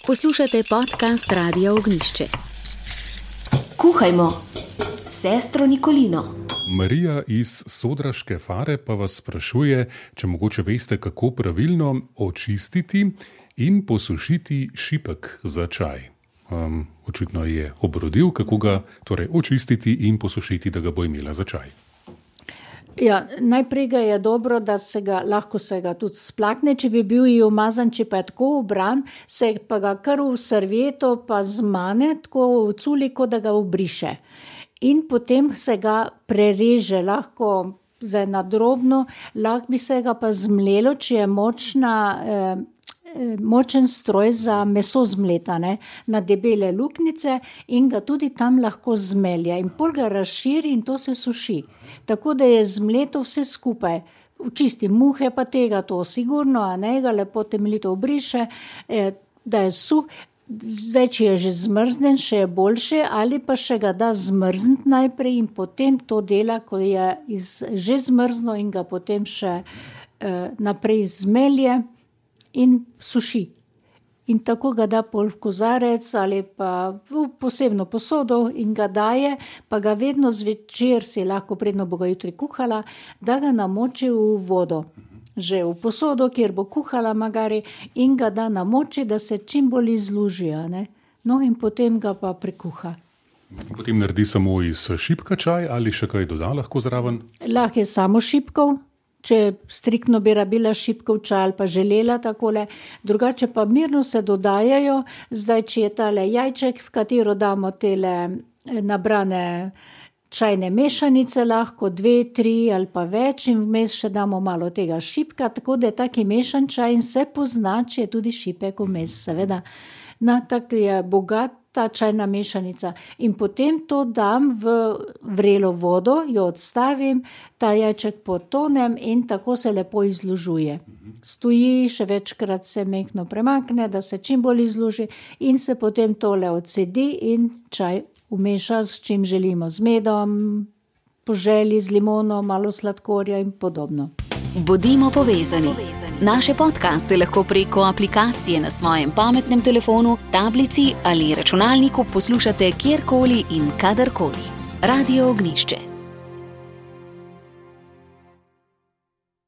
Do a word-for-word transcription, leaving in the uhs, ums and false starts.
Poslušate podcast Radia Ognjišče. Kuhajmo s sestro Nikolino. Marija iz Sodraške Fare pa vas sprašuje, če mogoče veste, kako pravilno očistiti in posušiti šipek za čaj. Um, očitno je obrodil, kako ga torej očistiti in posušiti, da ga bo imela za čaj. Ja, najprej ga je dobro, da se ga, lahko se ga tudi splakne, če bi bil ji umazan, če pa je tako obran, se pa ga kar v servieto pa zmane, tako v culiko, da ga obriše. In potem se ga prereže, lahko zdaj na drobno, lahko bi se ga pa zmlelo, če je močna, eh, močen stroj za meso zmletane na debele luknjice in ga tudi tam lahko zmelja in pol ga razširi in to se suši. Tako da je zmleto vse skupaj. Čisti muhe pa tega to sigurno, a ne ga lepo temeljito obriše, da je suh. Zdaj, če je že zmrznen, še je boljše, ali pa še ga da zmrzniti najprej in potem to dela, ko je iz, že zmrzno in ga potem še eh, naprej zmelje in suši. In tako ga da pol v kozarec ali pa v posebno posodo in ga daje, pa ga vedno zvečer, si lahko predno bo ga jutri kuhala, da ga namoči v vodo. Že v posodo, kjer bo kuhala magari, in ga da namoči, da se čim bolj izluži. Ne? No in potem ga pa prekuha. Potem naredi samo iz šipka čaj ali še kaj doda lahko zraven? Lahko je samo šipkov. Če striktno bi rabila šipkov čaj ali pa želela takole, drugače pa mirno se dodajajo, zdaj, če je tale jajček, v katero damo tele nabrane čajne mešanice, lahko dve, tri ali pa več in vmes še damo malo tega šipka, tako da je taki mešan čaj in se pozna, če je tudi šipek vmes, seveda. Na, tako je bogat ta čajna mešanica in potem to dam v vrelo vodo, jo odstavim, ta jajček potonem in tako se lepo izlužuje. Stoji, še večkrat se mehko premakne, da se čim bolj izluži in se potem tole odsedi in čaj umeša, s čim želimo, z medom, po želji, z limono, malo sladkorja in podobno. Bodimo povezani. Naše podcaste lahko preko aplikacije na svojem pametnem telefonu, tablici ali računalniku poslušate kjerkoli in kadarkoli. Radio Ognjišče.